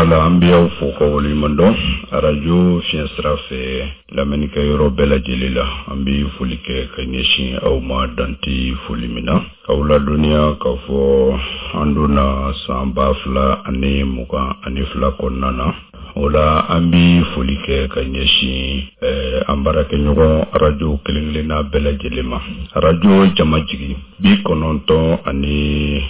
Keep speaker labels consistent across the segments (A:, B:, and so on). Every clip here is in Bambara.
A: la, an bɛ aw fo ka waleɲuman dɔn arajo fiɲɛ sira fɛ lamɛnnikɛ yɔrɔ bɛɛ lajɛlen la. An bɛ foli kɛ ka ɲɛsin aw ma dan tɛ foli min na. K'aw ladɔnniya k'a fɔ an donna san 2022 kɔnɔna na. O la an bɛ foli kɛ ka ɲɛsin an baarakɛɲɔgɔn arajo kelen-kelenna bɛɛ lajɛlen ma. Arajo Jamajigi 96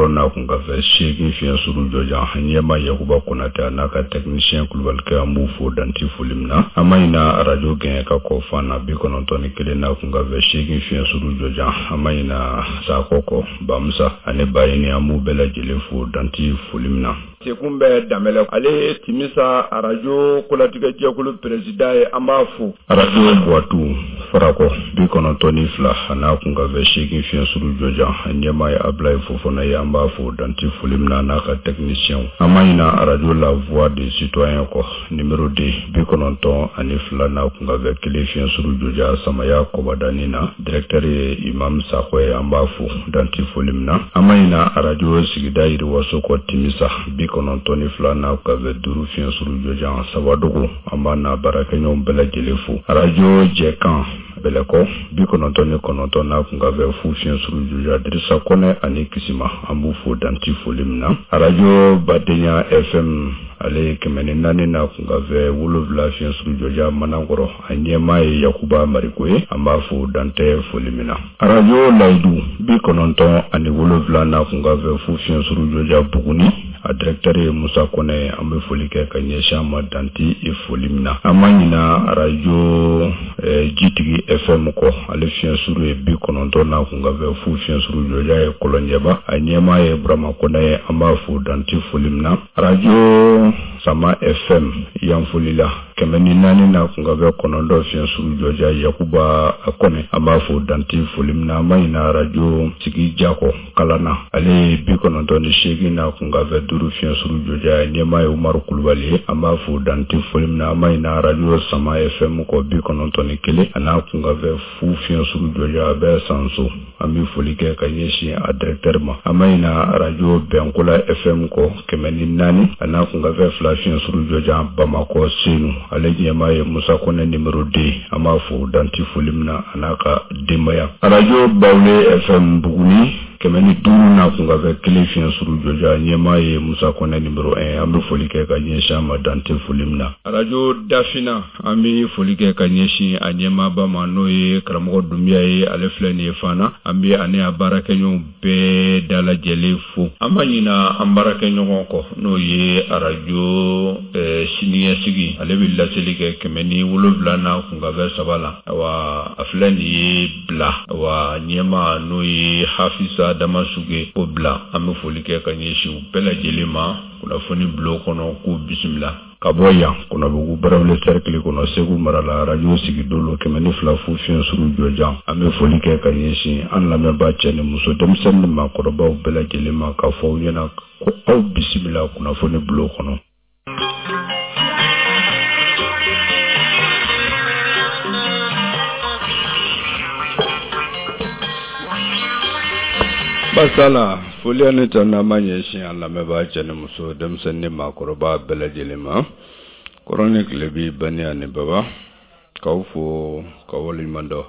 A: n'a kunkanfɛn 8 fiɲɛ suru jɔjan, ɲɛma Yakuba Konatɛ a n'a ka technicien Kulubalikɛ, an b'u fo dan tɛ foli min na. An ma ɲina arajo Gɛɲɛka kɔ Fana 91 n'a kunkanfɛn 8 fiɲɛ suru jɔjan, an ma ɲina Sakɔ kɔ Bamusa ani Bayini, an b'u bɛɛ lajɛlen fo dan tɛ foli min na.
B: Sekun bɛ Danbɛlɛ, ale ye Timisa arajo kolatigɛjɛkulu peresidan ye, an b'a fo.
A: Arajo Buwatu Farakɔ 92 a n'a kunkanfɛn 8 fiɲɛ suru jɔjan, ɲɛmaa ye Abulayi Fofana ye, an b'a fo dan tɛ foli min na n'a ka tɛkinisiyɛnw. An ma ɲina arajo La Voix des Citoyens kɔ numéro 2 92 n'a kunkanfɛn 1 fiɲɛ suru jɔjan Samaya Kɔbadani na, directeur ye Imam Sakɔ ye, an b'a fo dan tɛ foli min na. An ma ɲina arajo sigida yiriwaso kɔ Timisa 92 n'a kunkanfɛn 5 fiɲɛ suru jɔjan Sawadogo, an b'a n'a baarakɛɲɔgɔn bɛɛ lajɛlen fo. Arajo Jɛkan Bɛlɛkɔ 99 n'a kunkanfɛn 0 fiɲɛ suru jɔjan Dirisa Kɔnɛ ani Kisima, an b'u fo dan tɛ foli min na. Arajo Badenya FM ale ye 104 n'a kunkanfɛn 7 fiɲɛ suru jɔjan Manankɔrɔ, a ɲɛmaa ye Yakuba Mariko ye, an b'a fo dan tɛ foli min na. Arajo Layidu 97 n'a kunkanfɛn 0 fiɲɛ suru jɔjan Buguni, a directeur ye Musa Kɔnɛ ye, an bɛ foli kɛ ka ɲɛsin a ma dan tɛ foli min na. An ma ɲina arajo Jitigi FM kɔ, ale fiɲɛ suru ye 90 n'a kunkanfɛn 0 fiɲɛ suru jɔjan ye Kɔlɔnjɛba, a ɲɛmaa ye Burama Kɔnɛ ye, an b'a fo dan tɛ foli min na. Arajo Sama FM Yanfolila 104 n'a kunkanfɛn 9 fiɲɛ suru jɔjan Yakuba Kɔnɛ, an b'a fo dan tɛ foli min na. An ma ɲina arajo Sigi Jakɔ Kalana, ale ye 98 n'a kunkanfɛn 5 fiɲɛ suru jɔjan, ɲɛmaa ye Umaru Kulubali ye, an b'a fo dan tɛ foli min na. An ma ɲina arajo Sama FM kɔ 91 a n'a kunkanfɛn 0 fiɲɛ suru jɔjan, a bɛ Sanso, an bɛ foli kɛ ka ɲɛsin a directeur ma. An ma ɲina arajo Bɛnkola FM kɔ 104 a n'a kunkanfɛn 2 fiɲɛ suru jɔjan Bamakɔ Senu, ale ɲɛmaa ye Musa Kɔnɛ numéro 2, an b'a fo dan tɛ foli min na a n'a ka denbaya. Arajo Bawule FM Buguni 105 n'a kunkanfɛn 1 fiɲɛ suru jɔjan, ɲɛmaa ye Musa Kɔnɛ numéro 1, an bɛ foli kɛ ka ɲɛsin a ma dan tɛ foli min na. Arajo Dafina, an bɛ foli kɛ ka ɲɛsin a ɲɛmaaba ma, n'o ye karamɔgɔ Dunbiya ye, ale filɛ nin ye Fana, an bɛ ani a baarakɛɲɔgɔnw bɛɛ dalajɛlen fo. An ma ɲina an baarakɛɲɔgɔn kɔ, n'o ye arajo siniɲɛsigi, ale bɛ laseli kɛ 107 n'a kunkanfɛn 3 la. Awa a filɛ nin ye bila, awa ɲɛmaa n'o ye Hafisa Damasuge o bila, an bɛ foli kɛ ka ɲɛsin u bɛɛ lajɛlen ma kunnafoni bulon kɔnɔ, k'u bisimila. Ka bɔ yan Kɔnɔbugu Barawele cercle kɔnɔ Segu mara la, arajo Sigidolo 102 fu fiɲɛ suru jɔjan, an bɛ foli kɛ ka ɲɛsin an lamɛnbaa cɛ ni muso, denmisɛnnin ni maakɔrɔbaw bɛɛ lajɛlen ma, k'a fɔ aw ɲɛna ko aw bisimila kunnafoni bulon kɔnɔ. Basala foli ani tanu an b'a ɲɛsin an lamɛnbaa cɛ ni muso, denmisɛnnin ni maakɔrɔba bɛɛ lajɛlen ma, kɔrɔn ni tilebi, bani ani baba, k'aw fo ka waleɲuman dɔn.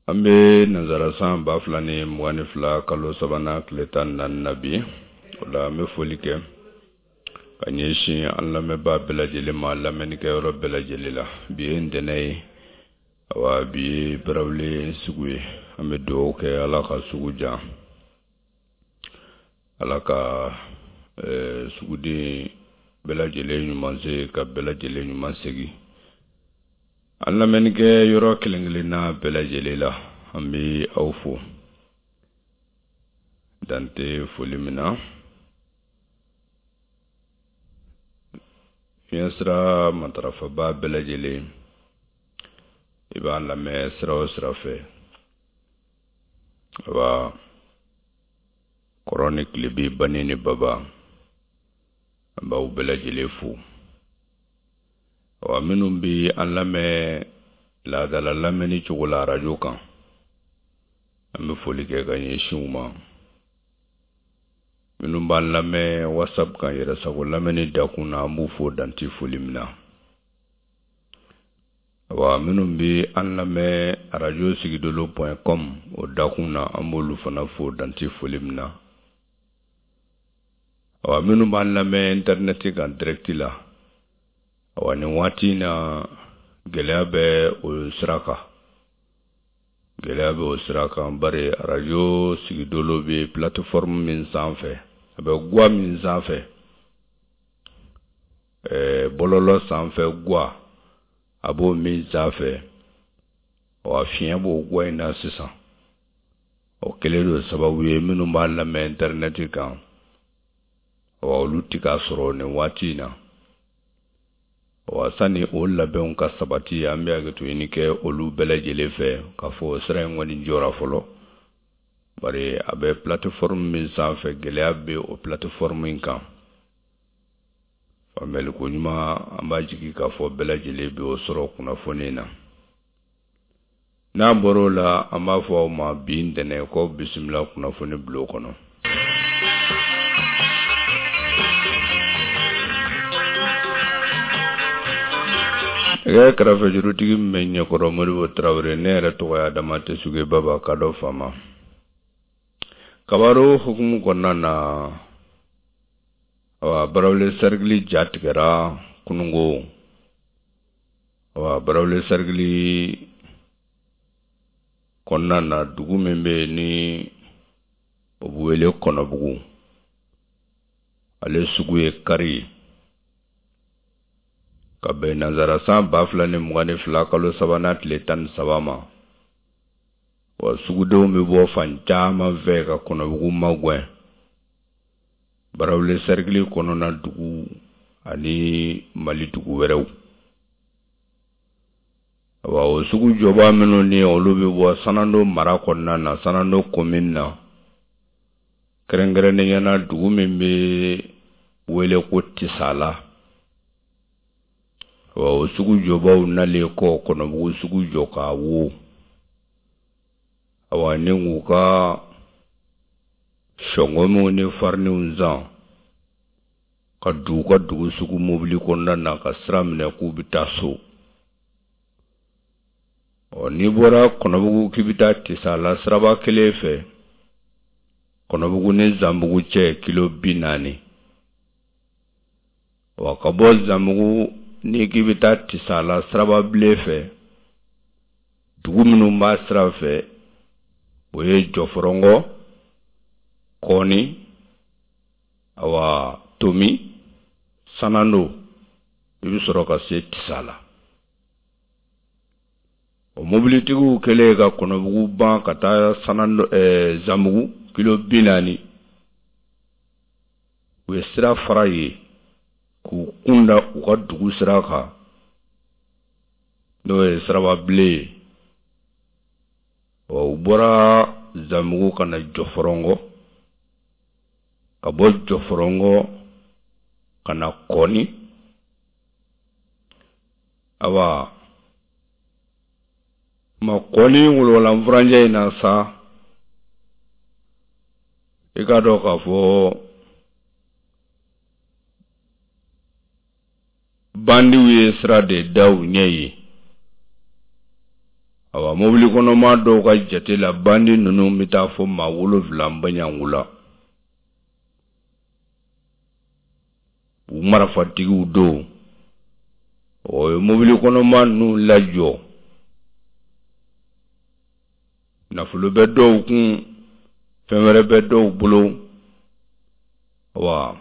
A: An bɛ nanzara san 2022 kalo sabanan tile 14 na bi. O la an bɛ foli kɛ ka ɲɛsin an lamɛnbaa bɛɛ lajɛlen ma lamɛnnikɛyɔrɔ bɛɛ lajɛlen la. Bi ye ntɛnɛn ye, awa bi ye Barawele sugu ye. An bɛ dugawu kɛ Ala ka sugu diya, Ala ka suguden bɛɛ lajɛlen ɲuman se ka bɛɛ lajɛlen ɲuman segin. An lamɛnnikɛ yɔrɔ kelen kelenna bɛɛ lajɛlen la, an bɛ aw fo dan tɛ foli min na. Fiɲɛ sira matarafaba bɛɛ lajɛlen, i b'an lamɛn sira o sira fɛ, awa kɔrɔn ni tilebi, bani ni baba, an b'aw bɛɛ lajɛlen fo. Awa minnu bɛ an lamɛn laadala lamɛnni cogo la arajo kan, an bɛ foli kɛ ka ɲɛsin u ma. Minnu b'an lamɛn WhatsApp kan yɛrɛsago lamɛnni dakun na, an b'u fo dan tɛ foli min na. Awa, minnu bɛ an lamɛn arajo sigidolo point com o dakun na, an b'olu fana fo dan tɛ foli min na. Awa, minnu b'an lamɛn internet kan direct la, awa, nin waati in na gɛlɛya bɛ o sira kan. Gɛlɛya bɛ o sira kan bari arajo sigidolo bɛ plateforme min sanfɛ, a bɛ gwa min sanfɛ, bɔlɔlɔ sanfɛ gwa, a b'o min sanfɛ, wa fiɲɛ b'o gwa in na sisan. O kɛlen don sababu ye minnu b'a lamɛn internet kan, wa olu tɛ k'a sɔrɔ nin waati in na. Wa sani o labɛnw ka sabati, an bɛ hakɛto ɲini kɛ olu bɛɛ lajɛlen fɛ k'a fɔ sira in kɔni jɔra fɔlɔ, bari a bɛ plateforme min sanfɛ, gɛlɛya bɛ o plateforme in kan. Faamuyali ko ɲuman, an b'a jigi k'a fɔ bɛɛ lajɛlen bɛ o sɔrɔ kunnafoni na. N'an bɔra o la, an b'a fɔ aw ma bi ntɛnɛn ko bisimila kunnafoni bulon kɔnɔ. Nɛgɛ kɛrɛfɛjurutigi min bɛ ɲɛkɔrɔ, Modibo Tarawele. Ne yɛrɛ tɔgɔ ye Adama Tesuge Baba ka dɔ faama. Kabaro hukumu kɔnɔna na, awa, Barawele sarikili ja tigɛra kunungo. Awa, Barawele sarikili kɔnɔna na, dugu min bɛ yen ni o bɛ wele Kɔnɔbugu, ale sugu ye kari ye ka bɛn nansara san 2022 kalo sabanan tile 13 ma. Wa sugudenw bɛ bɔ fan caman fɛ ka Kɔnɔbugu magɛn, Barawele sarikili kɔnɔna dugu ani Mali dugu wɛrɛw. Awa, o sugu jɔba minnu ni olu bɛ bɔ Sanando mara kɔnɔna na, Sanando commune na, kɛrɛnkɛrɛnnenya na dugu min bɛ wele ko Tisala. Awa, o sugu jɔbaw nalen kɔ Kɔnɔbugu sugu jɔ k'a wo, awa, ni k'u ka sɔngɔmiw ni fariniw san ka don u ka dugu sugu mobili kɔnɔna na ka sira minɛ k'u bɛ taa so. Ɔ, n'i bɔra Kɔnɔbugu k'i bɛ taa Tisala siraba kelen fɛ, Kɔnɔbugu ni Zanbugu cɛ kilo 40. Wa ka bɔ Zanbugu n'i k'i bɛ taa Tisala siraba bilen fɛ, dugu minnu b'a sira fɛ, o ye Jɔfɔrɔngɔ, Kɔni, awa, Tomi, Sanando, i bɛ sɔrɔ ka se Tisala. O mobilitigiw kɛlen ka Kɔnɔbugu ban ka taa Sanando, Zanbugu kilo 40, u ye sira fara yen k'u kun da u ka dugu sira kan, n'o ye sirababilen ye. Ɔ, u bɔra Zanbugu ka na Jɔfɔrɔngɔ, ka bɔ Jɔfɔrɔngɔ ka na Kɔni. Awa, ma Kɔni wolonwula furancɛ in na sa, i k'a dɔn k'a fɔ bandiw ye sira de da u ɲɛ ye. Awa, mobili kɔnɔma dɔw ka jate la, bandi ninnu bɛ taa fɔ maa 7 baɲangu la. U marafatigiw don. O ye mobili kɔnɔma ninnu lajɔ. Nafolo bɛ dɔw kun, fɛn wɛrɛ bɛ dɔw bolo. Awa,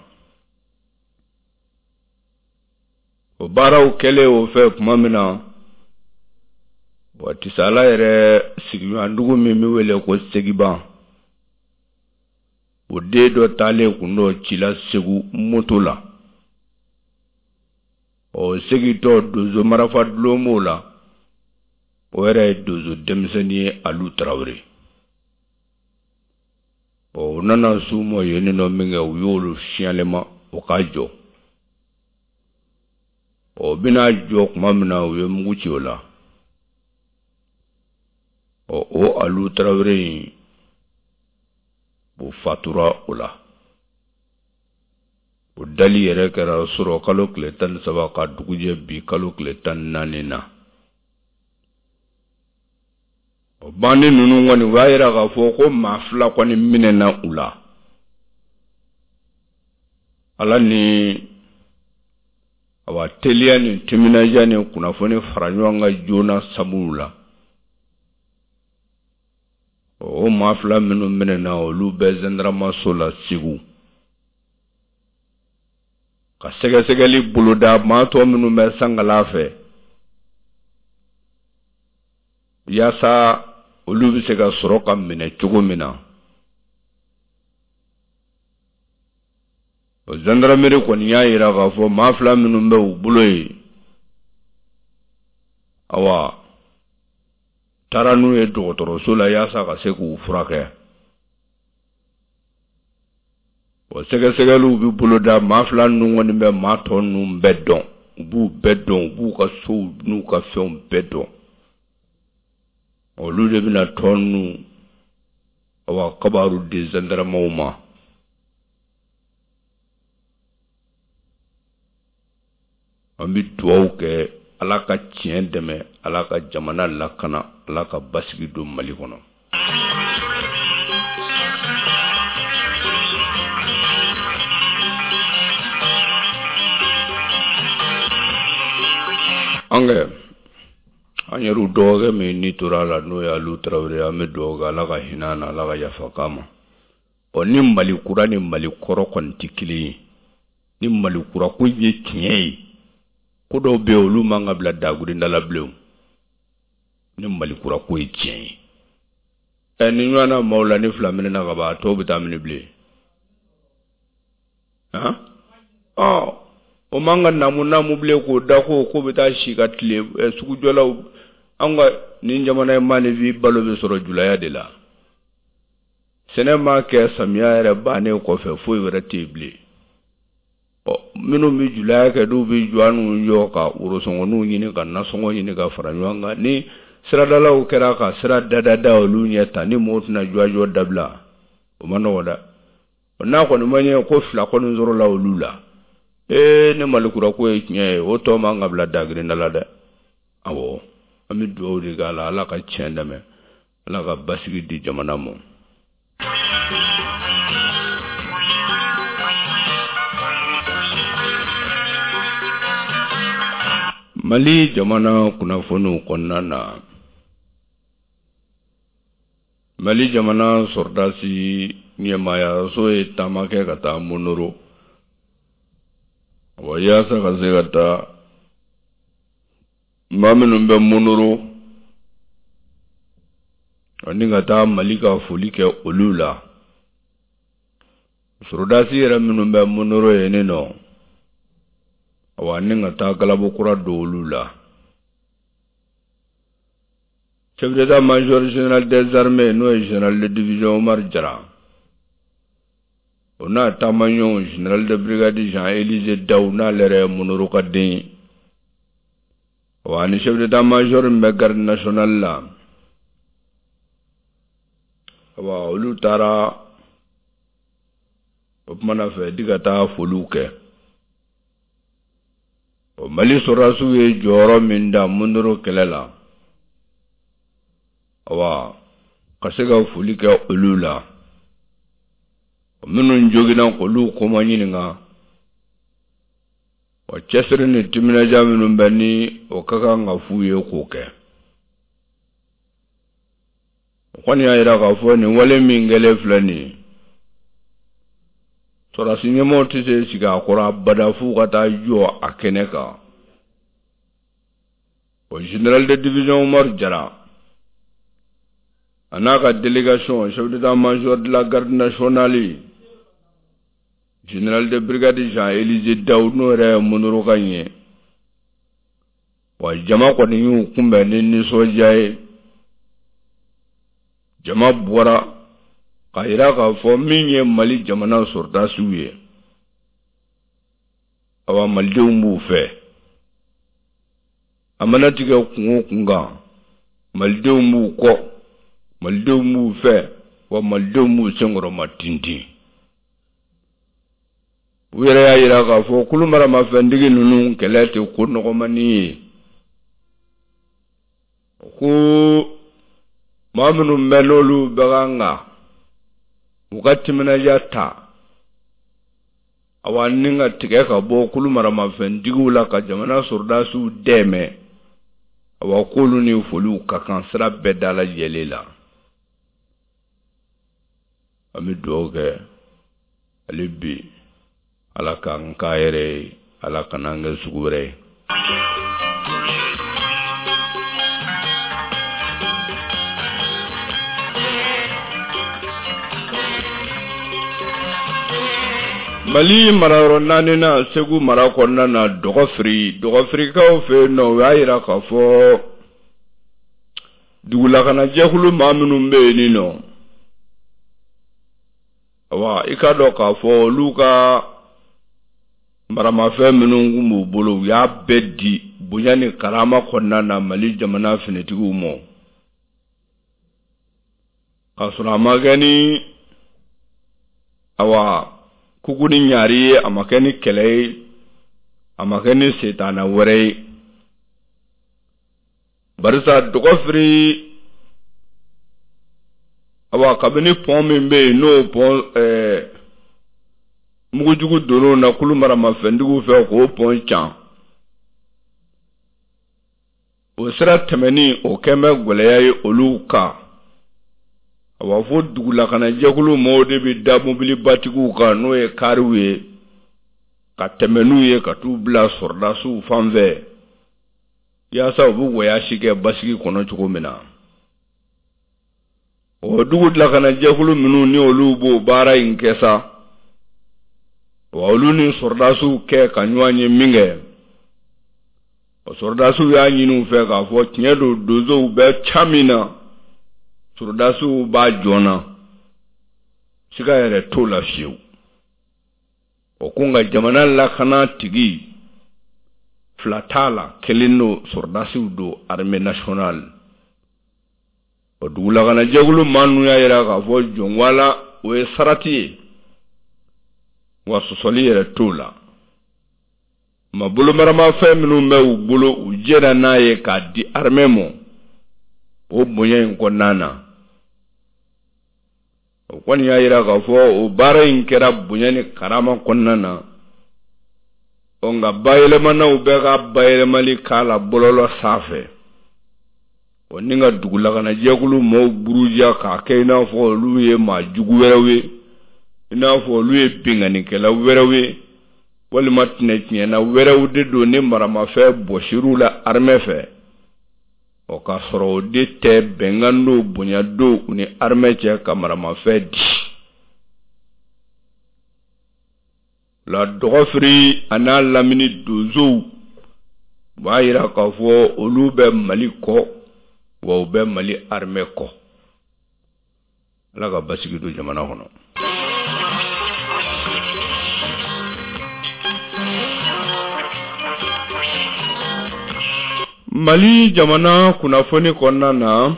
A: o baaraw kɛlen o fɛ tuma min na, wa Tisala yɛrɛ sigiɲɔgɔndugu min bɛ wele ko Segiban, o den dɔ taalen kun dɔ ci la Segu moto la. Ɔ, segintɔ, donso marafa dulon b'o la. O yɛrɛ ye donso denmisɛnnin ye, Alu Tarawele. Ɔ, u nana s'u ma yen nɔ min kɛ, u y'olu siyalema o ka jɔ. Ɔ, u bɛna jɔ tuma min na, u ye mugu ci o la. Ɔ, o Alu Tarawele in, o fatura o la. O dali yɛrɛ kɛra surɔ kalo tile 13 ka dugujɛ bi kalo tile 14 na. O bandi ninnu kɔni, u y'a yira k'a fɔ ko maa fila kɔni minɛna u la. Ala ni awa teliya ni timinadiya ni kunnafoni fara ɲɔgɔn kan joona sabu la, o maa fila minnu minɛna, olu bɛ zandaramaso la Segu ka sɛgɛsɛgɛli boloda. Maa tɔ minnu bɛ sankala fɛ, yaasa olu bɛ se ka sɔrɔ ka minɛ cogo min na. O zandarameri kɔni y'a yira k'a fɔ maa fila minnu bɛ u bolo yen, awa, taara n'u ye dɔgɔtɔrɔso la yaasa ka se k'u furakɛ. O sɛgɛsɛgɛliw bɛ boloda. Maa fila ninnu kɔni bɛ maa tɔ ninnu bɛɛ dɔn, u b'u bɛɛ dɔn, u b'u ka sow n'u ka fɛnw bɛɛ dɔn. Olu de bɛna tɔ ninnu, awa, kabaru di zandaramaw ma. An bɛ dugawu kɛ, Ala ka tiɲɛ dɛmɛ, Ala ka jamana lakana, Ala ka basigi don Mali kɔnɔ. An kɛ an yɛrɛw dɔgɔkɛ min ni tora a la, n'o ye Alu Tarawele, an bɛ dugawu kɛ, Ala ka hinɛ na, Ala ka yafa k'a ma. Ɔ, ni Mali kura ni Mali kɔrɔ kɔni tɛ kelen ye, ni Mali kura ko ye tiɲɛ ye, ko dɔw bɛ yen, olu man ka bila dagurinda la bilen. Ni Mali kura ko ye tiɲɛ ye, ɛ, ni ɲɔgɔn na maaw la, ni fila minɛna ka ban, a tɔw bɛ taa mini bilen. Han, ɔ, o man ka namu namu bilen k'o da ko k'o bɛ taa si ka tile sugujɔlaw. An ka nin jamana in maaninfin balo bɛ sɔrɔ julaya de la. Sɛnɛ ma kɛ samiya yɛrɛ bannen kɔfɛ, foyi wɛrɛ tɛ yen bilen. Ɔ, minnu bɛ julaya kɛ, n'u bɛ jɔnniw jɔ ka worosɔngɔninw ɲini, ka nasɔngɔ ɲini ka fara ɲɔgɔn kan, ni siradalaw kɛra ka sira dadada olu ɲɛ ta, ni mɔgɔw tɛna jɔ dabila, o ma nɔgɔ dɛ. N'a kɔni ma ɲɛ ko fila kɔni sɔrɔla olu la, ee, ni Malikura ko ye tiɲɛ ye, o tɔ man ka bila dagirinda la dɛ. Awɔ, an bɛ dugawu de k'a la, Ala ka tiɲɛ dɛmɛ, Ala ka basigi di jamana ma. Mali jamana kunnafoniw kɔnɔna na, Mali jamana sɔrɔdasi ɲɛmaayaso ye taama kɛ ka taa Monoro wa, yaasa ka se ka taa maa minnu bɛ Monoro ani ka taa Mali ka foli kɛ olu la. Sɔrɔdasi yɛrɛ minnu bɛ Monoro yen nɔ, awa, ni ka taa galabu kura don olu la. Chef d'état-major général des armées, n'o ye général de division Omar Jara, o n'a taamaɲɔgɔn général de brigade Jean-Élisée Daou, n'ale yɛrɛ ye Monoro ka den ye, wa ani chef d'état-major min bɛ garde nationale la, awa, olu taara o kumana fɛ di ka taa foliw kɛ. O Mali sɔrɔdasiw ye jɔyɔrɔ min da Monoro kɛlɛ la, awa, ka se ka foli kɛ olu la. Minnu joginna, k'olu kɔma ɲininka wa, cɛsiri ni timinadiya minnu bɛ ni o ka kan ka f'u ye k'o kɛ. O kɔni y'a jira k'a fɔ nin wale min kɛlen filɛ nin ye, sɔrɔdasi ɲɛmɔgɔ tɛ se sigi a kɔrɔ abada f'u ka taa jɔ a kɛnɛ kan. O général de division Omar Jara a n'a ka délégation, chef d'état-major de la garde nationale général de brigade Jean-Élisée Daou, n'o yɛrɛ ye Monoro ka ɲɛ wa, jama kɔni y'u kunbɛn ni nisɔndiya ye. Jama bɔra k'a jira k'a fɔ min ye Mali jamana sɔrɔdasiw ye, awa, malidenw b'u fɛ. A mana tigɛ kun o kun kan, malidenw b'u kɔ, malidenw b'u fɛ, wa malidenw b'u senkɔrɔma tintin.
B: U yɛrɛ y'a jira k'a fɔ kulu maramafɛntigi ninnu kɛlɛ tɛ ko nɔgɔmannin ye. Ko maa minnu bɛ n'olu bɛ kan ka u ka timinadiya ta awa ni ka tigɛ ka bɔ kulu maramafɛntigiw la ka jamana sɔrɔdasiw dɛmɛ, awa k'olu ni foliw ka kan sira bɛɛ dalajɛlen la. An bɛ dugawu kɛ hali bi, Ala k'an k'a yɛrɛ ye, Ala kana an kɛ sugu wɛrɛ ye. Mali marayɔrɔ naaninan Segu mara kɔnɔna na Dɔgɔfiri, Dɔgɔfirikaw fɛ yen nɔ, u y'a jira k'a fɔ dugulakanajɛkulu maa minnu bɛ yen nɔ, awa i k'a dɔn k'a fɔ olu ka maramafɛn minnu tun b'u bolo, u y'a bɛɛ di bonya ni karama kɔnɔna na Mali jamana finitigiw ma, k'a sɔrɔ a ma kɛ ni awa kuku ni ɲaari ye, a ma kɛ ni kɛlɛ ye, a ma kɛ ni setana wɛrɛ ye. Barisa Dɔgɔfiri, awa kabini pɔn min bɛ yen, n'o pɔn mugujugu donn'o na kulu maramafɛntigiw fɛ k'o pɔn can, o sira tɛmɛni o kɛn bɛ gɛlɛya ye olu kan. Awa fo dugulakanajɛkulu mɔɔw de bɛ da mobilibatigiw kan, n'o ye kariw ye, ka tɛmɛ n'u ye ka t'u bila sɔrɔdasiw fan fɛ, yaasa u bɛ wɔyasi kɛ basigi kɔnɔ cogo min na. O dugu lakanajɛkulu minnu ni olu b'o baara in kɛ sa, wa olu ni sɔrɔdasiw kɛ ka ɲɔgɔn ye min kɛ, o sɔrɔdasiw y'a ɲini u fɛ k'a fɔ tiɲɛ don, donsow bɛ ca min na, sɔrɔdasiw b'a jɔn na, siga yɛrɛ t'o la fiyewu. O ko nka jamana lakana tigi fila t'a la, kelen don, sɔrɔdasiw don, armée nationale. O dugulakanajɛkulu maa ninnu y'a jira k'a fɔ jɔnwala o ye sarati ye, wa sɔsɔli yɛrɛ t'o la. Ma bolomaramafɛn minnu bɛ u bolo, u jɛra n'a ye k'a di armée ma o bonya in kɔnɔna na. O kɔni y'a jira k'a fɔ o baara in kɛra bonya ni karama kɔnɔna na. Ɔ nka bayɛlɛmanaw bɛ ka bayɛlɛmali k'a la bɔlɔlɔ sanfɛ, o ni ka dugulakanajɛkulu maaw buruja k'a kɛ i n'a fɔ olu ye maa jugu wɛrɛw ye, i n'a fɔ olu ye binkannikɛla wɛrɛw ye, walima tɛnɛtiɲɛna wɛrɛw de don ni maramafɛn bɔsir'u la armée fɛ. O k'a sɔrɔ o de tɛ, bɛnkan don, bonya don u ni armée cɛ ka maramafɛn di la. Dɔgɔfiri a n'a lamini donsow b'a jira k'a fɔ olu bɛ Mali kɔ, wa u bɛ Mali armée kɔ. Ala ka basigi don jamana kɔnɔ. Mali jamana kunnafoni kɔnɔna na,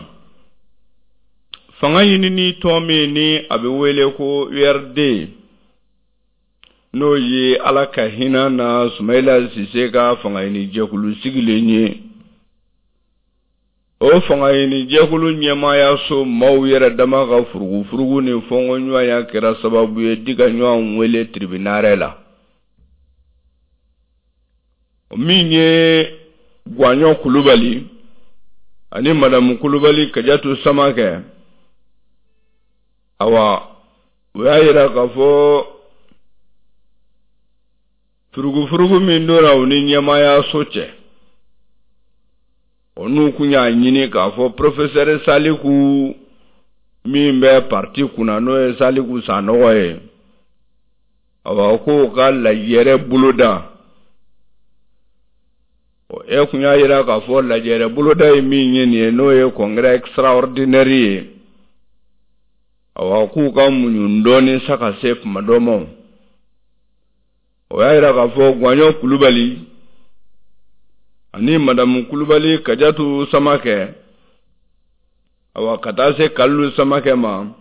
B: fanga ɲinini tɔn min ni a bɛ wele ko URD, n'o ye Ala ka hinɛ na Sumayila Sise ka fanga ɲini jɛkulu sigilen ye, o fanga ɲini jɛkulu ɲɛmaayaso maaw yɛrɛ dama ka furugufurugu ni fɔnkɔɲɔgɔnya kɛra sababu ye di ka ɲɔgɔn wele tiribinarɛ la. Min ye Guwaɲɔ Kulubali ani Madamu Kulubali Kajatu Samakɛ, awa u y'a jira k'a fɔ furugufurugu min donna u ni ɲɛmaayaso cɛ, o n'u kun y'a ɲini k'a fɔ porofesɛri Saliku min bɛ parti kunna, n'o ye Saliku Sanɔgɔ ye, awa k'o ka lajɛrɛ boloda. E kun y'a jira k'a fɔ lajɛrɛ boloda ye min ye nin ye, n'o ye congrès extraordinaire ye, awa k'u ka muɲu dɔɔnin sa ka se kuma dɔ ma. O y'a jira k'a fɔ Guwaɲɔ Kulubali ani Madamu Kulubali Kajatu Samakɛ, awa ka taa se Kalilu Samakɛ ma,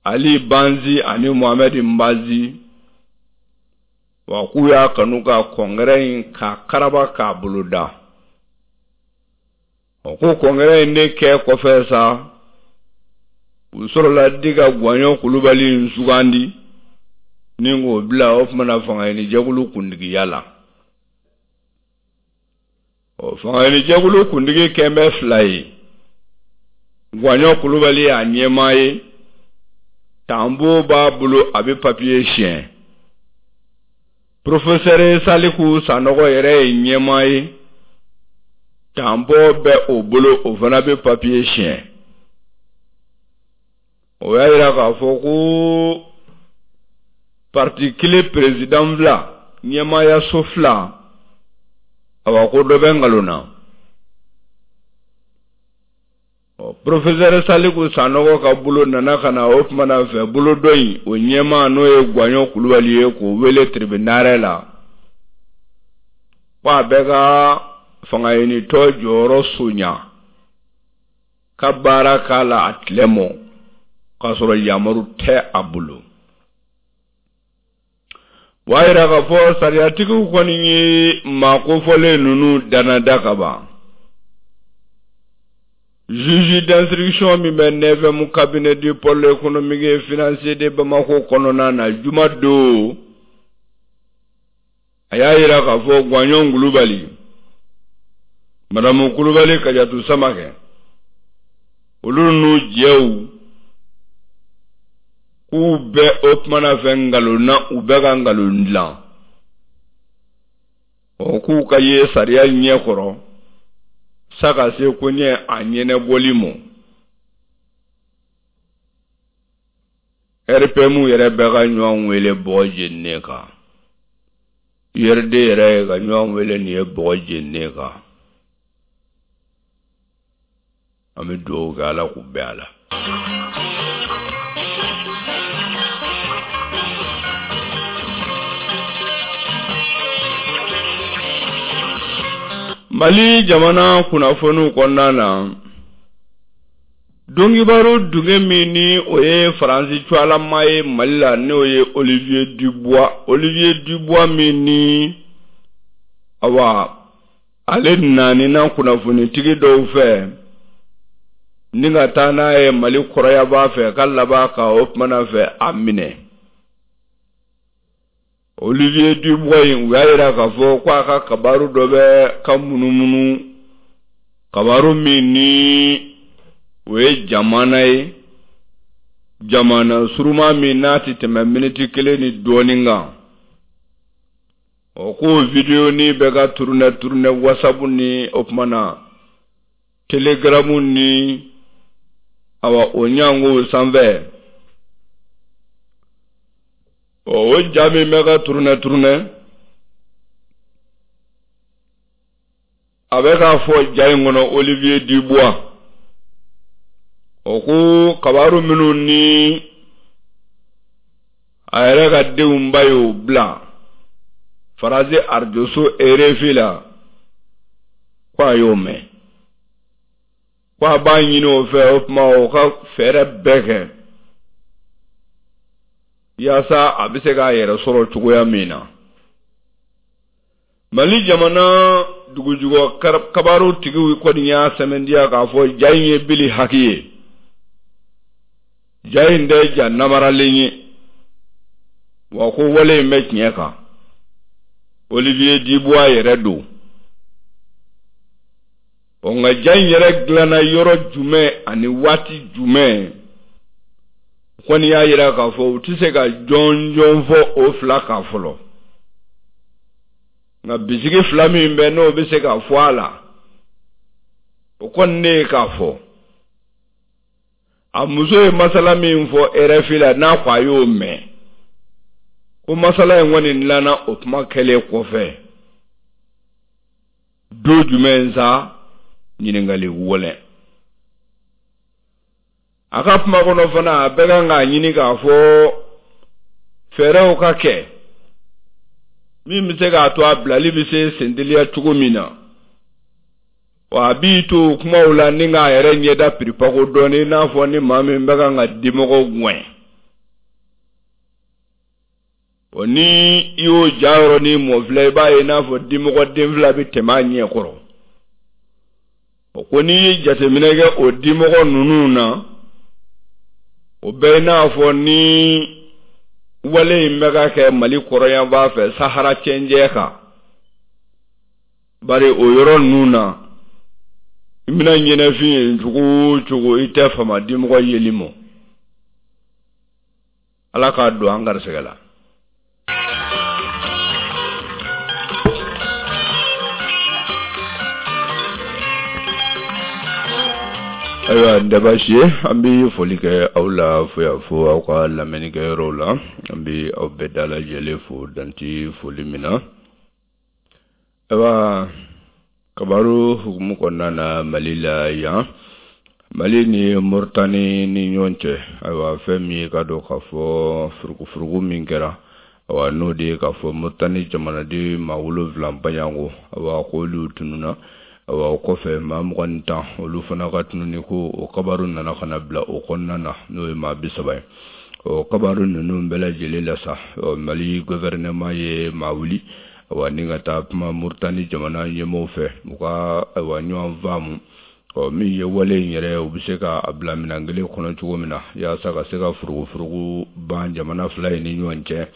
B: Ali Banzi ani Mohamɛdi Nbazi. Wa k'u y'a kanu ka kɔnkɛrɛ in k'a karaba k'a boloda. Ɔ ko kɔnkɛrɛ in de kɛ kɔfɛ sa, u sɔrɔla di ka Guwaɲɔ Kulubali in sugandi ni k'o bila o tuma na fangaɲinijɛkulu kuntigiya la. Ɔ fangaɲinijɛkulu kuntigi kɛn bɛ fila ye, Guwaɲɔ Kulubali y'a ɲɛmaa ye, tanbo b'a bolo a bɛ papiye siɲɛ. Porofesɛri Saliku Sanɔgɔ yɛrɛ ye ɲɛmaa ye, tanbɔ bɛ o bolo o fana bɛ papiye siɲɛ. O y'a jira k'a fɔ ko parti kelen perezidan fila, ɲɛmaayaso fila, awa ko dɔ bɛ nkalon na. Ɔ porofesɛri Saliku Sanɔgɔ ka bolo nana ka na o tuma na fɛ bolo dɔ in o ɲɛmaa n'o ye Guwaɲɔ Kulubali ye k'o wele tiribinarɛ la ko a bɛ ka fangaɲinitɔn jɔyɔrɔ sonya ka baara k'a la a tilɛ mɔ k'a sɔrɔ yamaru tɛ a bolo. O y'a jira k'a fɔ sariyatigiw kɔni ye maa kofɔlen ninnu danada ka ban. Juge d'instruction min bɛ 9e cabinet du pôle économique et financier de Bamako kɔnɔna na juma don, a y'a jira k'a fɔ Guwaɲɔ Kulubali, Madamu Kulubali Kajatu Samakɛ, olu n'u jɛw k'u bɛ o tuma na fɛ nkalon na, u bɛ ka nkalon dilan. Ɔ k'u ka ye sariya ɲɛ kɔrɔ sa ka se koɲɛ a ɲɛnabɔli ma. RPM yɛrɛ bɛ ka ɲɔgɔn wele bɔgɔ jeninen kan. URD yɛrɛ ye ka ɲɔgɔn wele nin ye bɔgɔ jeninen kan. An bɛ dugawu kɛ Ala k'u bɛn a la. Mali jamana kunnafoniw kɔnɔna na, Donkibaru dunge min ni o ye Faransi cuwalama ye Mali la, n'o ye Olivier Dubois, Olivier Dubois min ni awa ale nanina kunnafonitigi dɔw fɛ ni ka taa n'a ye Mali kɔrɔyaba fɛ ka laban ka o tuma na fɛ a minɛ. Olivier Dubois in u y'a jira k'a fɔ ko a ka kabaru dɔ bɛ ka munumunu kabaru min ni o ye jamana ye jamana suruma min n'a tɛ tɛmɛ miniti kelen ni dɔɔnin kan ɔ k'o videonin bɛ ka turunɛ turunɛ WhatsApp ni o tuma na Telegram ni awa o ɲangow sanfɛ ɔ o ja min bɛ ka turunɛ turunɛ a bɛ k'a fɔ ja in kɔnɔ Olivier Dubois o ko kabaru minnu ni a yɛrɛ ka denw ba y'o bila Faransi arajoso RFI la ko a y'o mɛn ko a b'a ɲini o fɛ o tuma o ka fɛɛrɛ bɛɛ kɛ yaasa a bɛ se k'a yɛrɛ sɔrɔ cogoya min na mali jamana dugujukɔ kabaru tigiw kɔni y'a sɛmɛntiya k'a fɔ ja in ye bili haki ye ja in tɛ ja namaralen ye wa ko wale in bɛ tiɲɛ kan olivier dubois yɛrɛ don ɔ nka ja in yɛrɛ dilanna yɔrɔ jumɛn ani waati jumɛn kɔni y'a jira k'a fɔ u tɛ se ka jɔnjɔn fɔ o fila kan fɔlɔ nka bisigi fila min bɛ n'o bɛ se ka fɔ a la o kɔni ne ye k'a fɔ a muso ye masala min fɔ RFI la n'a ko a y'o mɛn ko masala in kɔni dilanna o kuma kɛlen kɔfɛ don jumɛn sa ɲininkali wɛlɛ a ka kuma kɔnɔ fana a bɛ kan k'a ɲini k'a fɔ fɛɛrɛw ka kɛ min bɛ se k'a to a bilali bɛ se senteliya cogo min na wa a b'i to kumaw la ni k'a yɛrɛ ɲɛda piripako dɔɔnin i n'a fɔ ni maa min bɛ kan ka dimɔgɔw gɛn. O ni i y'o ja yɔrɔnin mɔfilɛ, i b'a ye n'a fɔ dimɔgɔ den fila bɛ tɛmɛ a ɲɛ kɔrɔ. O ko n'i ye jateminɛ kɛ o dimɔgɔ ninnu na, o bɛɛ i n'a fɔ ni wale in bɛ ka kɛ Mali kɔrɔnyanfan fɛ Sahara cɛncɛn kan. Bari o yɔrɔ ninnu na, i bɛna ɲɛnɛfin ye cogo o cogo, i tɛ fama dimɔgɔ yeli ma. Ala k'a don an garisɛgɛ la. Ayiwa, n tɛ baasi ye, an bɛ foli kɛ aw la fo yan fo aw ka lamɛnnikɛyɔrɔw la. An bɛ aw bɛɛ dalajɛlen fo danti foli min na. Ayiwa, kabaru hukumu kɔnɔna na Mali la yan, Mali ni Moritani ni ɲɔgɔn cɛ, ayiwa, fɛn min ye ka dɔn k'a fɔ furukufuruku min kɛra, ayiwa, n'o de ye k'a fɔ Moritani jamanaden maa 7 baɲanko, ayiwa, k'olu tununna. Ayiwa, o kɔfɛ maa 21, olu fana ka tununni ko o kabaru nana ka na bila o kɔnɔna na, n'o ye maa 30 ye. O kabaru ninnu bɛɛ lajɛlen la sa, Mali gouvernement ye maa wuli, ayiwa, ni ka taa kuma Moritani jamana ɲɛmɔgɔw fɛ, u ka, ayiwa, ɲɔgɔn faamu. Ɔ, min ye wale in yɛrɛ, u bɛ se ka a bila minɛn kelen kɔnɔ cogo min na, yaasa ka se ka furugufurugu ban jamana fila in ni ɲɔgɔn cɛ.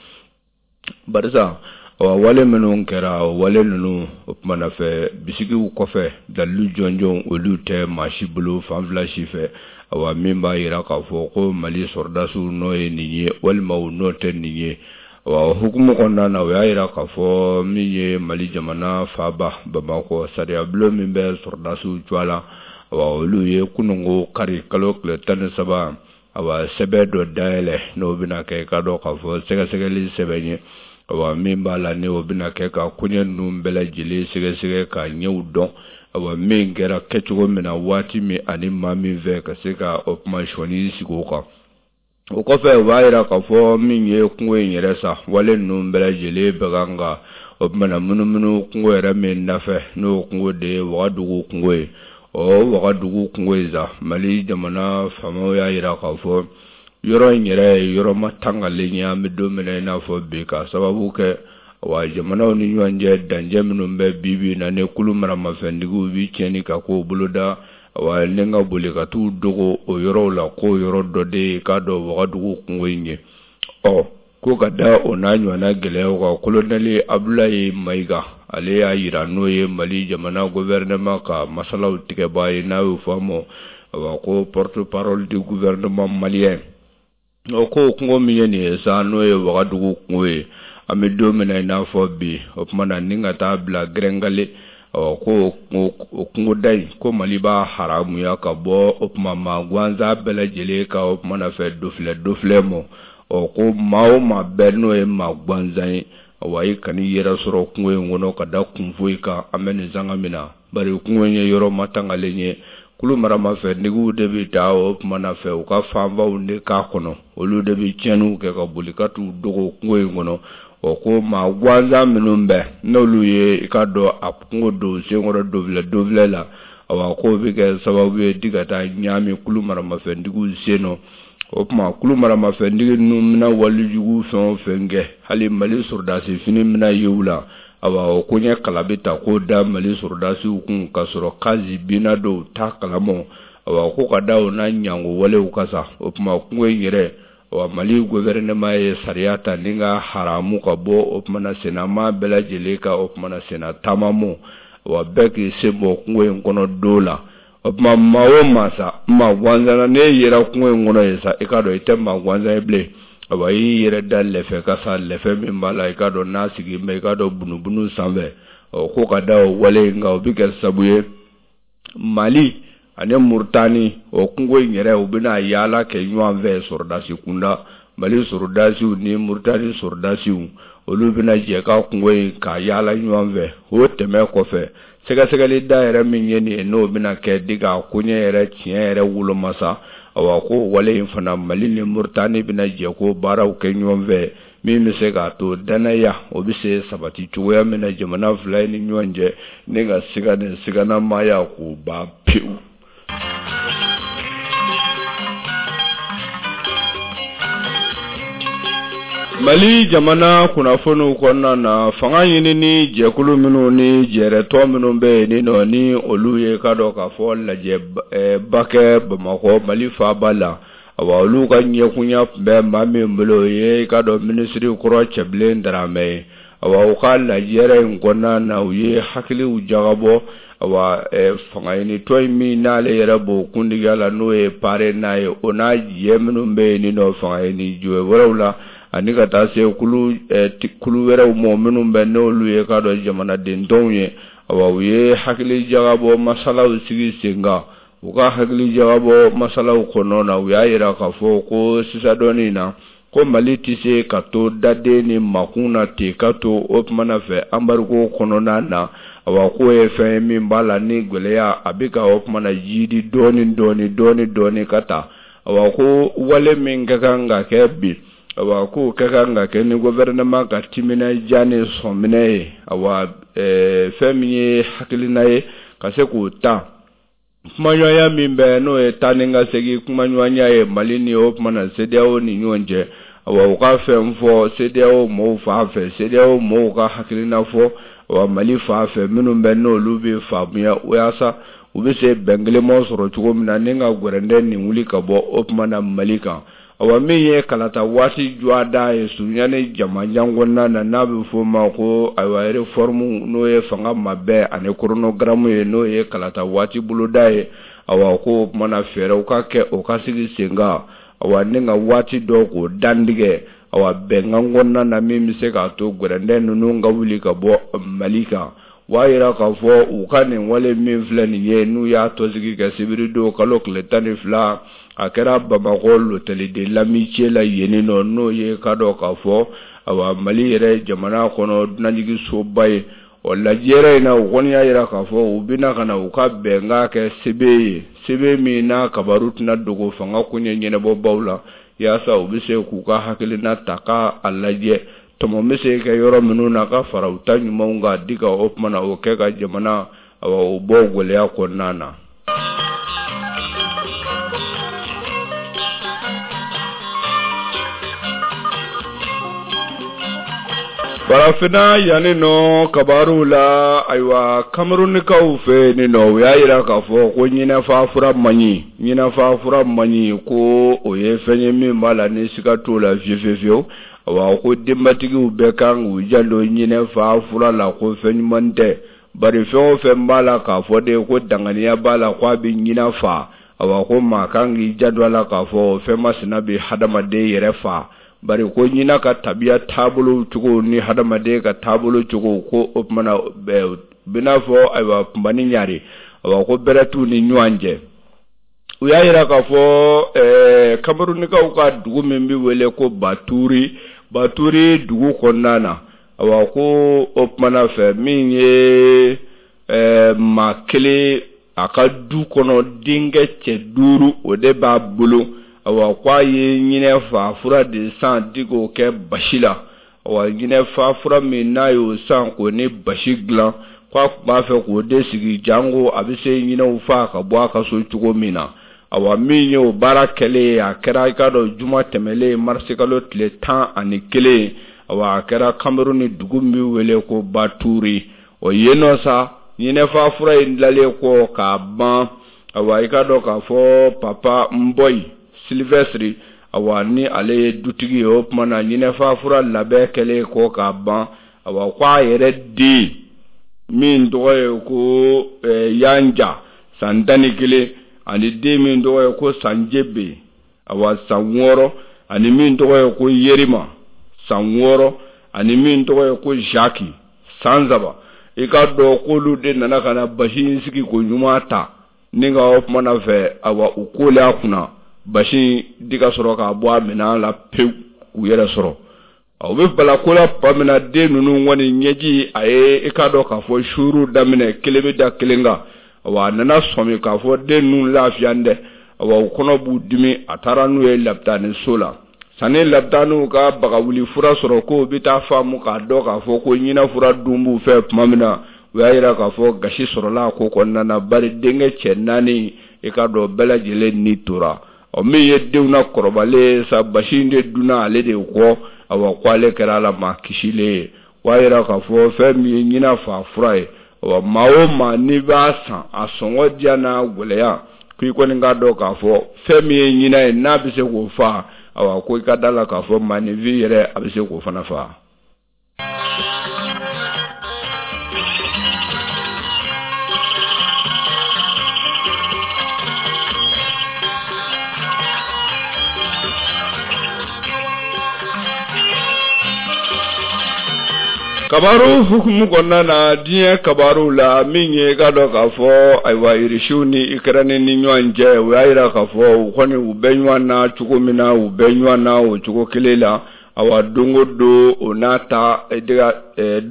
B: Barisa, awa, wale minnu kɛra, o wale ninnu, o tuma na fɛ bisigiw kɔfɛ, dalilu jɔnjɔn olu tɛ maa si bolo fan fila si fɛ, awa, min b'a jira k'a fɔ ko Mali sɔrɔdasiw nɔ ye nin ye walima u nɔ tɛ nin ye. Awa, o hukumu kɔnɔna na, o y'a jira k'a fɔ min ye Mali jamana faaba Bamakɔ, sariyabulon min bɛ sɔrɔdasiw cogoya la, awa, olu ye kununko kari kalo tile 13, awa, sɛbɛn dɔ dayɛlɛ, n'o bɛna kɛ ka dɔn k'a fɔ sɛgɛsɛgɛli sɛbɛn ye, awa, min b'a la ni o bɛna kɛ ka koɲɛ ninnu bɛɛ lajɛlen sɛgɛsɛgɛ ka ɲɛw dɔn, awa, min kɛra kɛcogo min na, waati min ani maa min fɛ, ka se ka o kuma sɔnni sigi o kan. O kɔfɛ, u b'a jira k'a fɔ min ye kungo in yɛrɛ sa, wale ninnu bɛɛ lajɛlen bɛ kan ka o tuma munumunu kungo yɛrɛ min nafɛ, n'o kungo de ye Wagadugu kungo ye. Ɔ, Wagadugu kungo in sa, Mali jamana faamaw y'a jira k'a fɔ yɔrɔ in yɛrɛ ye yɔrɔ matangalen ye an bɛ don min na i n'a fɔ bi, ka sababu kɛ, wa, jamanaw ni ɲɔgɔn cɛ dancɛ minnu bɛ bi bi na, ni kulu maramafɛntigiw bɛ tiɲɛni ka kow boloda, wa, ni ka boli ka t'u dogo o yɔrɔw la, k'o yɔrɔ dɔ de ye k'a dɔn Wagadugu kungo in ye. Ɔ, ko ka da o n'a ɲɔgɔnna gɛlɛyaw kan, kolonɛli Abulayi Mayiga, ale y'a jira, n'o ye Mali jamana gouvernement ka masalaw tigɛbaa ye, n'a y'o fɔ a ma, awa, ko porte parole du gouvernement malien, o ko kungo min ye nin ye sa, n'o ye Wagadugu kungo ye, an bɛ don min na i n'a fɔ bi, o tuma na ni ka taa bila Gɛrɛngale, ɔ, ko o kungoda in, ko Mali b'a haramuya ka bɔ o tuma maa gansan bɛɛ lajɛlen ka o tuma na fɛ dofilɛ dofilɛ mɔ. Ɔ, ko maa o maa bɛɛ n'o ye maa gansan ye, awa, i kan'i yɛrɛ sɔrɔ kungo in kɔnɔ ka da kun foyi kan an bɛ nin sanga min na, bari kungo in ye yɔrɔ matangalen ye. Kulu maramafɛntigiw de bɛ taa o tuma na fɛ u ka fanbaw de k'a kɔnɔ, olu de bɛ tiɲɛniw kɛ ka boli ka t'u dogo kungo in kɔnɔ. Ɔ, ko maa gansan minnu bɛ n'olu ye i ka dɔn a kungo don senkɔrɔ dofilɛ dofilɛ la, awa, k'o bɛ kɛ sababu ye di ka taa ɲaami kulu maramafɛntigiw sen nɔ. O tuma kulu maramafɛntigi ninnu bɛna walejugu fɛn o fɛn kɛ, hali Mali sɔrɔdasi fini bɛna ye u la, awa, o koɲɛ kala bɛ ta k'o da Mali sɔrɔdasiw kun, k'a sɔrɔ kazi binna dɔw t'a kalama. Awa, ko ka da o n'a ɲango walew kan sa, o tuma kungo in yɛrɛ, awa, Mali gouvernement ye sariya ta ni ka haramu ka bɔ o tuma na sennamaa bɛɛ lajɛlen ka o tuma na senna taama mɔ, awa, bɛɛ k'i sen bɔ kungo in kɔnɔ don la. O tuma maa o maa sa, maa gansan na, n'e yera kungo in kɔnɔ yen sa, i k'a dɔn i tɛ maa gansan ye bilen. Awa, i y'i yɛrɛ da lɛfɛ kan sa, lɛfɛ min b'a la i k'a dɔn n'a sigi bɛ i k'a dɔn bunubunu sanfɛ. Ɔ, ko ka da o wale in kan, o bɛ kɛ sabu ye Mali ani Murutani, o kungo in yɛrɛ, u bɛna yaala kɛ ɲɔgɔn fɛ sɔrɔdasi kunda. Mali sɔrɔdasiw ni Murutani sɔrɔdasiw, olu bɛna jɛ ka kungo in ka yaala ɲɔgɔn fɛ. O tɛmɛ kɔfɛ, sɛgɛsɛgɛli da yɛrɛ min ye nin ye, n'o bɛna kɛ di ka koɲɛ yɛrɛ tiɲɛ yɛrɛ woloma sa, awa, ko wale in fana, Mali ni Murutani bɛna jɛ ko baaraw kɛ ɲɔgɔn fɛ, min bɛ se k'a to dannaya o bɛ se sabati cogoya min na jamana fila in ni ɲɔgɔn cɛ, ni ka siga ni siganamaya k'o ban pewu. Mali jamana kunnafoniw kɔnɔna na, fanga ɲinini jɛkulu minnu ni jɛrɛtɔn minnu bɛ yen ni nɔ ni olu ye ka dɔn k'a fɔ lajɛba kɛ Bamakɔ Mali faaba la, awa olu ka ɲɛkunya tun bɛ maa min bolo o ye i ka dɔn minisiri kɔrɔ Cɛbilen Daramɛ ye. Awa u ka lajɛrɛ in kɔnɔna na, u ye hakiliw jagabɔ awa fangaɲinitɔn in min n'ale yɛrɛ b'o kuntigiya la n'o ye PARENA ye, o n'a jɛ minnu bɛ yen ni nɔ fangaɲini jɛ wɛrɛw la ani ka taa se kulu kulu wɛrɛw ma minnu bɛ n'olu ye ka dɔn jamanaden tɔnw ye. Awa u ye hakili jagabɔ masalaw sigi sen kan. U ka hakili jagabɔ masalaw kɔnɔ na, u y'a jira k'a fɔ ko sisan dɔɔnin na ko Mali tɛ se ka to daden ni makun na ten ka to o tumana fɛ embargo kɔnɔna na. Awa k'o ye fɛn ye min b'a la ni gɛlɛya a bɛ ka o tumana jiidi dɔɔnin dɔɔnin dɔɔnin dɔɔnin ka taa. Awa ko wale min ka kan ka kɛ bi, awa k'o ka kan ka kɛ ni gouvernement ka timinandiya ni sɔnminɛ ye. Awa fɛn min ye hakilina ye ka se k'o ta kumaɲɔgɔnya min bɛ n'o ye taa ni ka segin kumaɲɔgɔnya ye Mali ni o tuma na CEDEAO ni ɲɔgɔn cɛ. Awa u ka fɛn fɔ CEDEAO mɔgɔw fan fɛ, CEDEAO mɔgɔw ka hakilina fɔ awa Mali fan fɛ minnu bɛ n'olu bɛ faamuya walasa u bɛ se bɛn kelenma sɔrɔ cogo min na ni ka gɛrɛndɛ nin wuli ka bɔ o tuma na Mali kan. Awa min ye kalata waati jɔda ye surunya ni jamajan kɔnɔna na n'a bɛ f'o ma ko ayiwa réforme n'o ye fanga mabɛn ani chronogramme ye n'o ye kalata waati boloda ye. Awa ko o tuma na fɛɛrɛw ka kɛ o ka sigi sen kan, awa ni ka waati dɔ k'o dantigɛ awa bɛnkan kɔnɔna na min bɛ se k'a to gɛrɛndɛ ninnu ka wuli ka bɔ Mali kan. O b'a jira k'a fɔ u ka nin wale min filɛ nin ye n'u y'a tɔnsigi kɛ sibiridon kalo tile 12 a kɛra Bamakɔ l'hôtel de l'amitié la yen nɔ n'o ye ka dɔn k'a fɔ awa Mali yɛrɛ jamana kɔnɔ dunanjiginsoba ye. Ɔ lajɛrɛ in na u kɔni y'a jira k'a fɔ u bɛna ka na u ka bɛnkan kɛ sɛbɛn ye, sɛbɛn min n'a kabaru tɛna dogo fanga koɲɛ ɲɛnabɔbaw la yaasa u bɛ se k'u ka hakilina ta k'a lajɛ tɔmɔ bɛ se kɛ yɔrɔ minnu na ka fara u ta ɲumanw kan di ka o tuma na o kɛ ka jamana awa o bɔ gɛlɛya kɔnɔna na. Farafinna yanni nɔ kabaruw la, ayiwa Kamerunikaw fɛ yen nɔ u y'a jira k'a fɔ ko ɲinɛfa fura man ɲi, ɲinɛfa fura man ɲi, ko o ye fɛn ye min b'a la ni siga t'o la fiyewu fiyewu fiyewu. Awa ko denbatigiw bɛɛ kan k'u janto ɲinɛfa fura la, ko fɛn ɲuman tɛ, bari fɛn o fɛn b'a la k'a fɔ de ko danganiya b'a la ko a bɛ ɲinɛ fa. Awa ko maa kan k'i janto a la k'a fɔ o fɛn masina bɛ hadamaden yɛrɛ fa, bari ko ɲinɛ ka tabiya taabolo cogo ni hadamaden ka taabolo cogo ko o tuma na bɛ n'a fɔ ayiwa kunba ni ɲare, awa ko bɛrɛ t'u ni ɲɔgɔn cɛ. U y'a jira k'a fɔ Kamerunikaw ka dugu min bɛ wele ko Baturi, Baturi dugu kɔnɔna na, awa ko o tuma na fɛ min ye maa kelen a ka du kɔnɔ denkɛ cɛ duuru o de b'a bolo, awa ko a ye ɲinɛ fa fura de san di k'o kɛ basi la. Awa ɲinɛfa fura min n'a y'o san k'o ni basi dilan, ko a tun b'a fɛ k'o de sigi janko a bɛ se ɲinɛw faa ka bɔ a ka so cogo min na. Awa min ye o baara kɛlen ye, a kɛra i k'a dɔn juma tɛmɛlen marisikalo tile 11, awa a kɛra Kameruni dugu min bɛ wele ko Baturi. O yen nɔ sa ɲinɛfa fura in dilanlen kɔ k'a ban, awa i k'a dɔn k'a fɔ Papa Nbɔyi Sylvestre, awa ni ale ye dutigi ye, o tuma na ɲinɛfa fura labɛn kɛlen kɔ k'a ban, awa ko a yɛrɛ den min tɔgɔ ye ko Yanja san 11 ani den min tɔgɔ ye ko Sanjebe awa san 6 ani min tɔgɔ ye ko Yerima san 6 ani min tɔgɔ ye ko Jacques san 3, i k'a dɔn k'olu de nana ka na basi in sigi ko ɲuman ta ni ka o tuma na fɛ awa u kolen a kunna basi di ka sɔrɔ k'a bɔ a minɛn la pewu k'u yɛrɛ sɔrɔ. U bɛ bala ko la tuma min na den ninnu kɔni ɲɛji a ye i k'a dɔn k'a fɔ suuru daminɛ kelen bɛ da kelen kan, awa a nana sɔmi k'a fɔ den ninnu lafiya dɛ, awa u kɔnɔ b'u dimi, a taara n'u ye lapitaniso la. Sani lapitaniw ka bagawuli fura sɔrɔ k'o bɛ taa faamu k'a dɔn k'a fɔ ko ɲinɛ fura dun b'u fɛ tuma min na, u y'a jira k'a fɔ gasi sɔrɔla a ko kɔnɔna na, bari denkɛ cɛ naani i k'a dɔn bɛɛ lajɛlen ni tora. Ɔ min ye denw na kɔrɔbalen ye sa, basi in de dunna ale de kɔ. Awa ko ale kɛra a la maa kisilen ye. O y'a yira k'a fɔ fɛn min ye ɲina faa fura ye, awa maa o maa n'i b'a san a sɔngɔ diya n'a gɛlɛya, ko i kɔni k'a dɔn k'a fɔ fɛn min ye ɲina ye n'a bɛ se k'o faa, awa ko i ka da la k'a fɔ maaninfin yɛrɛ a bɛ se k'o fana faa. Kabaru hukumu kɔnɔna na, diɲɛ kabaruw la, min ye i k'a dɔn k'a fɔ ayiwa Irisiw ni Ikɛrɛni ni ɲɔgɔn cɛ, u y'a jira k'a fɔ u kɔni u bɛ ɲɔgɔn na cogo min na, u bɛ ɲɔgɔn na o cogo kelen la. Awa don o don o n'a ta,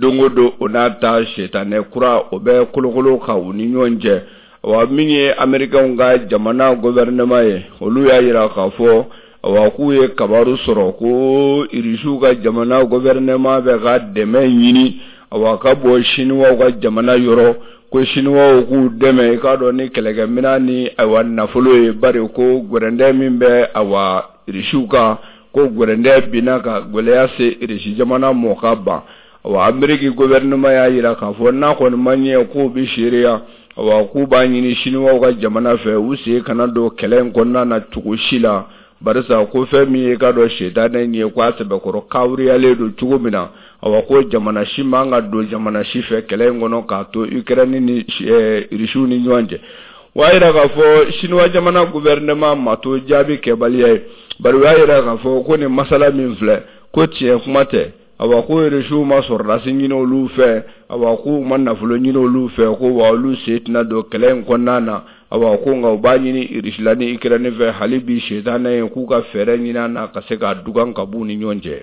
B: don o don o n'a ta, sitanɛ kura o bɛ kolokolo ka u ni ɲɔgɔn cɛ. Awa min ye Amerikɛnw ka jamana gouvernement ye, olu y'a jira k'a fɔ awa k'u ye kabaru sɔrɔ ko Irisiw ka jamana gouvernement bɛ ka dɛmɛ ɲini awa ka bɔ Siniwaw ka jamana yɔrɔ, ko Siniwaw k'u dɛmɛ i k'a dɔn ni kɛlɛkɛminɛn ni ayiwa nafolo ye, bari ko gɛrɛndɛ min bɛ awa Irisiw kan, ko gɛrɛndɛ binna ka gɛlɛya se Irisi jamana mɔ ka ban. Awa Ameriki gouvernement y'a jira k'a fɔ n'a kɔni ma ɲɛ k'u bɛ seereya, awa k'u b'a ɲini Siniwaw ka jamana fɛ u sen kana don kɛlɛ in kɔnɔna na cogo si la, barisa ko fɛn min ye k'a dɔn sitanɛ in ye ko a sɛbɛkɔrɔ kawuriyalen don cogo min na, awa ko jamana si man ka don jamana si fɛ kɛlɛ in kɔnɔ k'a to Ukraine ni Irisiw ni ɲɔgɔn cɛ. O y'a jira k'a fɔ Siniwa jamana gouvernement ma to jaabi kɛbaliya ye, bari u y'a jira k'a fɔ ko nin masala min filɛ, ko tiɲɛ kuma tɛ. Awa ko Irisiw ma sɔrɔdasi ɲini olu fɛ, awa k'u ma nafolo ɲini olu fɛ, ko wa olu sen tɛna don kɛlɛ in kɔnɔna na. Awa ko nka u b'a ɲini Irisila ni Ikɛrɛni fɛ hali bi sitanɛ ye k'u ka fɛɛrɛ ɲini a na ka se k'a dugan ka b'u ni ɲɔgɔn cɛ.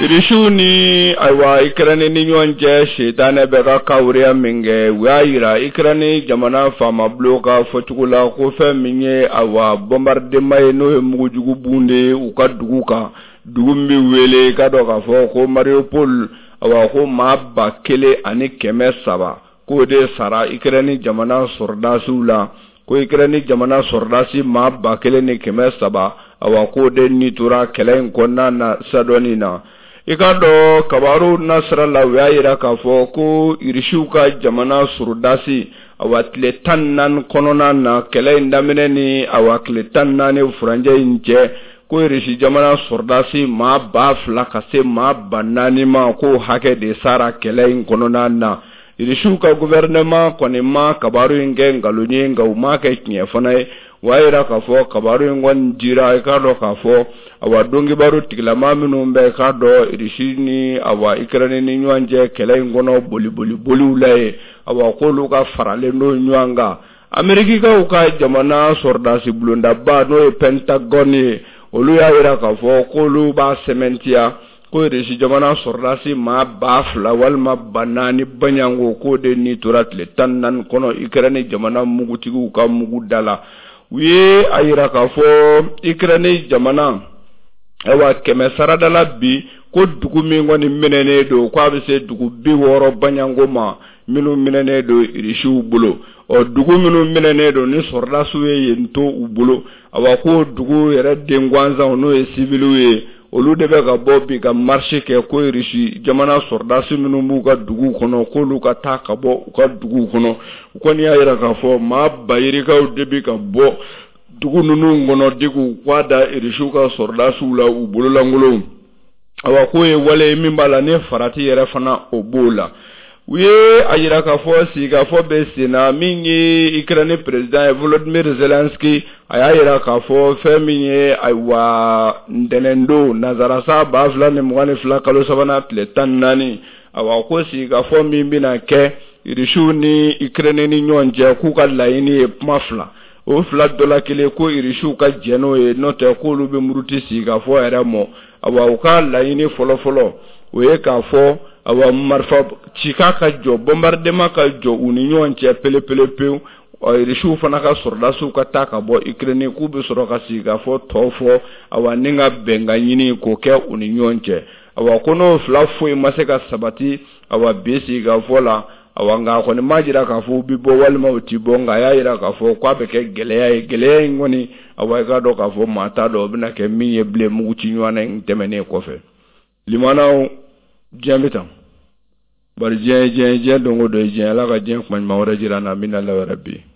B: Irisiw ni ayiwa Ikɛrɛni ni ɲɔgɔn cɛ sitanɛ bɛ ka kawuriya min kɛ, u y'a jira Ikɛrɛni jamana faamabulon ka fɔcogo la ko fɛn min ye ayiwa bombardement ye, n'o ye mugujugu bun de ye u ka dugu kan, dugu min bɛ wele k'a dɔn k'a fɔ ko Mariupol, ayiwa ko maa 1300 k'o de sara Ikɛrɛni jamana sɔrɔdasiw la, ko Ikɛrɛni jamana sɔrɔdasi maa 1300, awa k'o de ni tora kɛlɛ in kɔnɔna na sadɔnin na. I k'a dɔn kabaru nasira la, u y'a jira k'a fɔ ko Irisiw ka jamana sɔrɔdasi, awa tile 14 kɔnɔna na, kɛlɛ in daminɛ ni awa tile 14 furancɛ in cɛ, ko Irisi jamana sɔrɔdasi maa 2000 ka se maa 4000 ma, k'o hakɛ de sara kɛlɛ in kɔnɔna na. Irisiw ka gouvernement kɔni ma kabaru in kɛ nkalon ye, nka u m'a kɛ tiɲɛ fana ye. U y'a jira k'a fɔ kabaru in kɔni dira, i k'a dɔn k'a fɔ awa donkibaru tigilama minnu bɛ k'a dɔn Irisi ni awa Ikɛrɛni ni ɲɔgɔn cɛ kɛlɛ in kɔnɔ boliboli boliw la ye, awa k'olu ka faralen don ɲɔgɔn kan. Amerikikaw ka jamana sɔrɔdasi bulondaba n'o ye Pentagone ye, olu y'a jira k'a fɔ k'olu b'a sɛmɛntiya ko Irisi jamana sɔrɔdasi maa 2000 walima 4000 baɲanko k'o de ni tora tile 14 kɔnɔ Ikɛrɛni jamana mugutigiw ka mugu da la. U ye a jira k'a fɔ Ikɛrɛni jamana ayiwa kɛmɛ sarada la bi ko dugu min kɔni minɛnen don k'a bɛ se dugu 60 baɲanko ma minnu minɛnen don Irisiw bolo. Ɔ dugu minnu minɛnen don ni sɔrɔdasiw ye yen to u bolo, awa ko dugu yɛrɛ den gansanw n'o ye siviliw ye, olu de bɛ ka bɔ bi ka marche kɛ ko Irisi jamana sɔrɔdasi minnu b'u ka duguw kɔnɔ k'olu ka taa ka bɔ u ka duguw kɔnɔ. U kɔni y'a jira k'a fɔ maa bayirikaw de bɛ ka bɔ dugu ninnu kɔnɔ de k'u kwa da Irisiw ka sɔrɔdasiw la u bololankolonw. Awa k'o ye wale ye min b'a la ni farati yɛrɛ fana o b'o la. U ye a jira k'a fɔ sigikafɔ bɛ sen na min ye Ukraine président ye Volodymyr Zelensky, a y'a jira k'a fɔ fɛn min ye ayiwa ntɛnɛndon nansarasa 2022 kalo sabanan tile 14, awa ko sigikafɔ min bɛna kɛ Irisiw ni Ukraine ni ɲɔgɔn cɛ, k'u ka laɲini ye kuma fila, o fila dɔ la kelen ko Irisiw ka jɛn n'o ye, n'o tɛ k'olu bɛ muruti sigikafɔ yɛrɛ mɔ. Awa u ka laɲini fɔlɔfɔlɔ o ye k'a fɔ awa marifa cikan ka jɔ, bombardement ka jɔ u ni ɲɔgɔn cɛ pelepele pewu, Irisiw fana ka sɔrɔdasiw ka taa ka bɔ Ukraine, k'u bɛ sɔrɔ ka sigikafɔ tɔ fɔ, awa ni ka bɛnkan ɲini k'o kɛ u ni ɲɔgɔn cɛ. Awa ko n'o fila foyi ma se ka sabati awa bi sigikafɔ la. Awa, nka a kɔni m'a jira k'a fɔ u bɛ bɔ walima u ti bɔ, nka a y'a jira k'a fɔ k'a bɛ kɛ gɛlɛya ye. Gɛlɛya in kɔni, awa, i k'a dɔn k'a fɔ maa t'a dɔn o bɛna kɛ min ye bilen mugu ci ɲɔgɔn in tɛmɛnen kɔfɛ. Limanaw, diɲɛ bɛ tan, bari diɲɛ ye diɲɛ ye, diɲɛ don o don ye diɲɛ. Ala ka diɲɛ kuma ɲuman wɛrɛ jira an na. Amina yarabi.